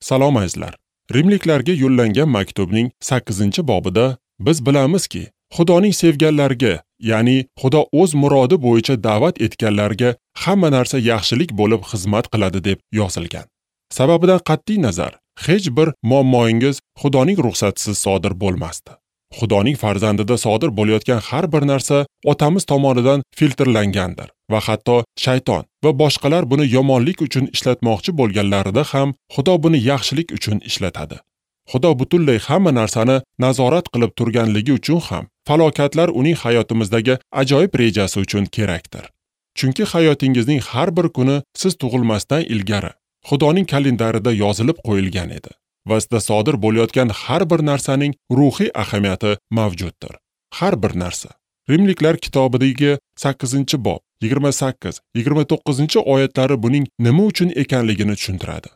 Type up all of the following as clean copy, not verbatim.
Salom azizlar. Rimliklarga yo'llangan maktubning 8-bobida biz bilamizki, Xudoning sevganlariga, ya'ni Xudo o'z murodi bo'yicha da'vat etganlarga hamma narsa yaxshilik bo'lib xizmat qiladi deb yozilgan. Sababidan qat'iy nazar, hech bir muammoingiz Xudoning ruxsatisiz sodir bo'lmasdi. Xudoning farzandida sodir bo'layotgan har bir narsa otamiz tomonidan filtrlangandir va hatto shayton va boshqalar buni yomonlik uchun ishlatmoqchi bo'lganlarida ham Xudo buni yaxshilik uchun ishlatadi. Xudo butunlay hamma narsani nazorat qilib turganligi uchun ham falokatlar uning hayotimizdagi ajoyib rejasi uchun kerakdir. Chunki hayotingizning har bir kuni siz tug'ilmasdan ilgari Xudoning kalendarida yozilib qo'yilgan edi va sizda sodir bo'layotgan har bir narsaning ruhiy ahamiyati mavjuddir. Har bir narsa. Rimliklar kitobidagi 8-bob 28-29 oyatlari buning nima uchun ekanligini tushuntiradi.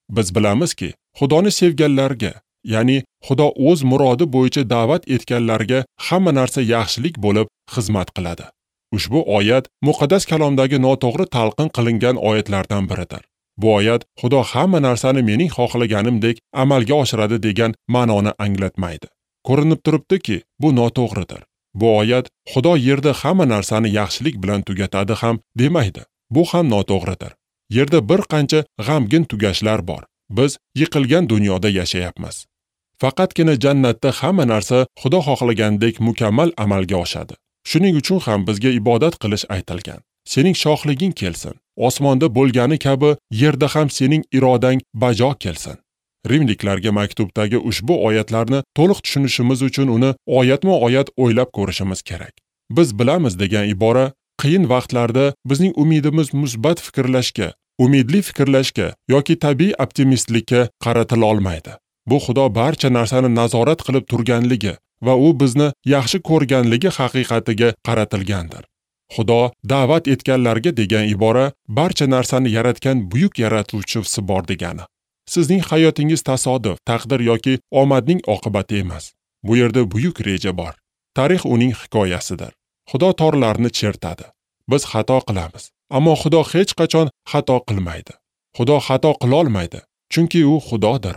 Biz bilamizki, Xudoni sevganlarga, ya'ni Xudo o'z murodi bo'yicha da'vat etganlarga hamma narsa yaxshilik bo'lib xizmat qiladi. Ushbu oyat muqaddas kalomdagi noto'g'ri talqin qilingan oyatlardan biridir. Bu oyat Xudo hamma narsani mening xohlaganimdek amalga oshiradi degan ma'noni anglatmaydi. Ko'rinib turibdiki, bu noto'g'ridir. Bu oyat Xudo yerda hamma narsani yaxshilik bilan tugatadi ham demaydi. Bu ham noto'g'ridir. Yerda bir qancha g'amgin tugashlar bor. Biz yiqilgan dunyoda yashayapmiz. Faqatgina jannatda hamma narsa Xudo xohlagandek mukammal amalga oshadi. Shuning uchun ham bizga ibodat qilish aytilgan. Sening shohliging kelsin. Osmonda bo'lgani kabi yerda ham sening irodang bajo kelsin. Rimliklarga maktubdagi ushbu oyatlarni to'liq tushunishimiz uchun uni oyatma-oyat o'ylab ko'rishimiz kerak. Biz bilamiz degan ibora qiyin vaqtlarda bizning umidimiz musbat fikrlashga, umidli fikrlashga yoki tabiiy optimistlikka qaratila olmaydi. Bu Xudo barcha narsani nazorat qilib turganligi va u bizni yaxshi ko'rganligi haqiqatiga qaratilgandir. Xudo da'vat etganlarga degan ibora barcha narsani yaratgan buyuk yaratuvchisi bor degani. Sizning hayotingiz tasodif, taqdir yoki omadning oqibati emas. Bu yerda buyuk reja bor. Tarix uning hikoyasidir. Xudo torlarni chertadi. Biz xato qilamiz, ammo Xudo hech qachon xato qilmaydi. Xudo xato qila olmaydi, chunki u Xudodir.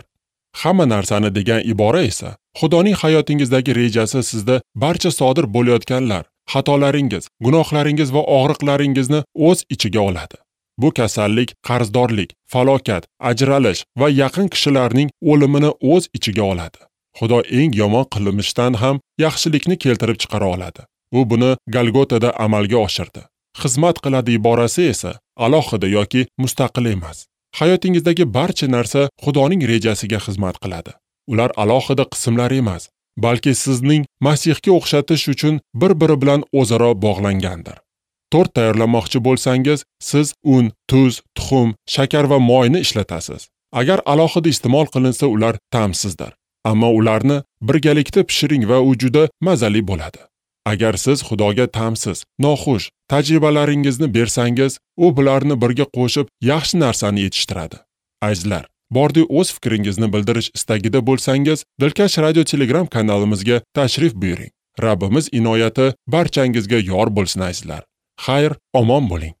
Hamma narsani degan ibora esa Xudoning hayotingizdagi rejasi sizda barcha sodir bo'layotganlar, xatolaringiz, gunohlaringiz va og'riqlaringizni o'z ichiga oladi. Bu kasallik, qarzdorlik, falokat, ajralish va yaqin kishilarning o'limini o'z ichiga oladi. Xudo eng yomon qilmishdan ham yaxshilikni keltirib chiqara oladi. U buni Golgotada amalga oshirdi. Xizmat qiladi iborasi esa alohida yoki mustaqil emas. Hayotingizdagi barcha narsa Xudoning rejasiga xizmat qiladi. Ular alohida qismlar emas, balki sizning Masihga o'xshatish uchun bir-biri bilan o'zaro bog'langandir. Tort tayyorlamoqchi bo'lsangiz, siz un, tuz, tuxum, shakar va moyni ishlatasiz. Agar alohida iste'mol qilinsa, ular ta'msizdir. Ammo ularni birgalikda pishiring va u juda mazali bo'ladi. Agar siz Xudoga ta'msiz, noxush tajribalaringizni bersangiz, u bularni birga qo'shib yaxshi narsani yetishtiradi. Azizlar, bordi o'z fikringizni bildirish istagida bo'lsangiz, Dilkash Radio Telegram kanalimizga tashrif buyuring. Rabbimiz inoyati barchangizga yor bo'lsin azizlar. Xayr, omon bo'ling.